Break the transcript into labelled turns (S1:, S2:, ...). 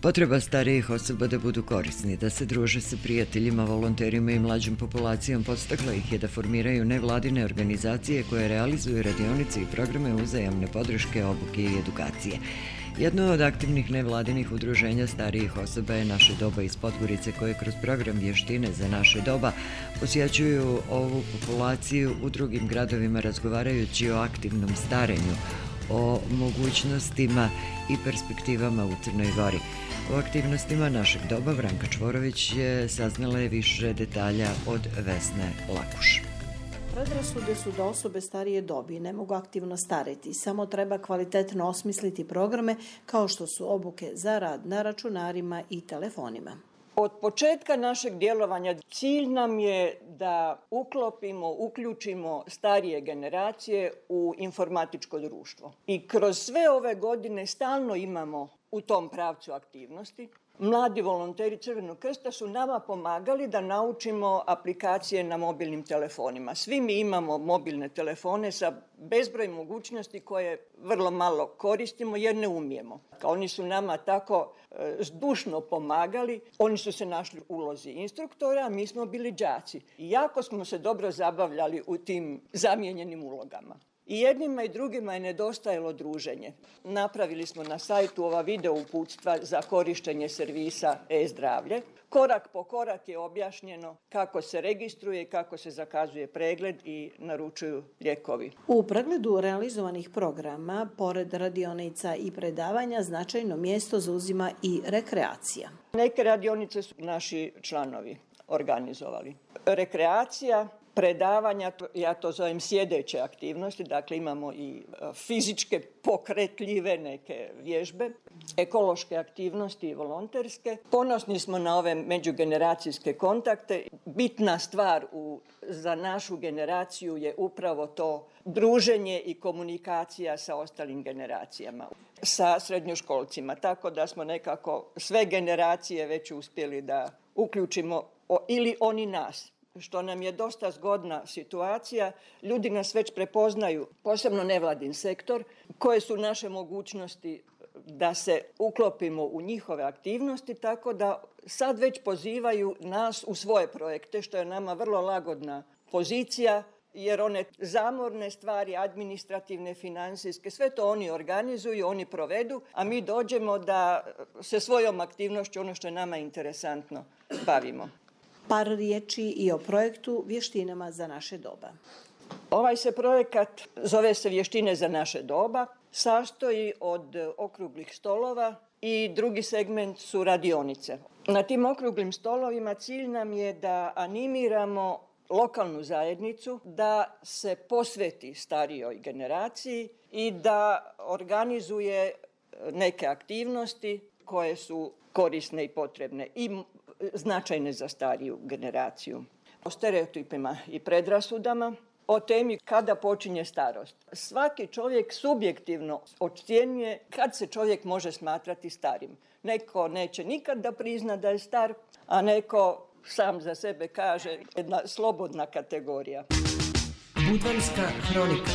S1: Potreba starijih osoba da budu korisni, da se druže sa prijateljima, volonterima i mlađom populacijom podstakla ih je da formiraju nevladine organizacije koje realizuju radionice i programe uzajamne podrške, obuke i edukacije. Jedno od aktivnih nevladinih udruženja starijih osoba je Naše doba iz Podgorice, koje kroz program Vještine za naše doba posjećuju ovu populaciju u drugim gradovima razgovarajući o aktivnom starenju, o mogućnostima i perspektivama u Crnoj Gori. O aktivnostima Našeg doba Branka Čvorović je saznala je više detalja od Vesne Lakuš.
S2: Predrasude su da osobe starije dobi ne mogu aktivno stareti, samo treba kvalitetno osmisliti programe kao što su obuke za rad na računarima i telefonima.
S3: Od početka našeg djelovanja cilj nam je da uključimo starije generacije u informatičko društvo. I kroz sve ove godine stalno imamo u tom pravcu aktivnosti. Mladi volonteri Crvenog krsta su nama pomagali da naučimo aplikacije na mobilnim telefonima. Svi mi imamo mobilne telefone sa bezbroj mogućnosti koje vrlo malo koristimo jer ne umijemo. Oni su nama tako zdušno pomagali, oni su se našli u ulozi instruktora, a mi smo bili đaci. I jako smo se dobro zabavljali u tim zamijenjenim ulogama. I jednima i drugima je nedostajalo druženje. Napravili smo na sajtu ova video uputstva za korištenje servisa e-zdravlje. Korak po korak je objašnjeno kako se registruje, kako se zakazuje pregled i naručuju lijekovi.
S2: U pregledu realizovanih programa, pored radionica i predavanja, značajno mjesto zauzima i rekreacija.
S3: Neke radionice su naši članovi organizovali. Rekreacija, predavanja, ja to zovem sjedeće aktivnosti, dakle imamo i fizičke pokretljive neke vježbe, ekološke aktivnosti i volonterske. Ponosni smo na ove međugeneracijske kontakte. Bitna stvar za našu generaciju je upravo to druženje i komunikacija sa ostalim generacijama, sa srednjoškolcima, tako da smo nekako sve generacije već uspjeli da uključimo ili oni nas. Što nam je dosta zgodna situacija. Ljudi nas već prepoznaju, posebno nevladin sektor, koje su naše mogućnosti da se uklopimo u njihove aktivnosti, tako da sad već pozivaju nas u svoje projekte, što je nama vrlo lagodna pozicija, jer one zamorne stvari, administrativne, financijske, sve to oni organizuju, oni provedu, a mi dođemo da se svojom aktivnošću, ono što je nama interesantno, bavimo.
S2: Par riječi i o projektu Vještinama za naše doba.
S3: Ovaj se projekat zove se Vještine za naše doba, sastoji od okruglih stolova i drugi segment su radionice. Na tim okruglim stolovima cilj nam je da animiramo lokalnu zajednicu da se posveti starijoj generaciji i da organizuje neke aktivnosti koje su korisne i potrebne i značajne za stariju generaciju. O stereotipima i predrasudama, o temi kada počinje starost. Svaki čovjek subjektivno ocjenjuje kad se čovjek može smatrati starim. Neko neće nikad da prizna da je star, a neko sam za sebe kaže jedna slobodna kategorija.
S4: Budvanska hronika.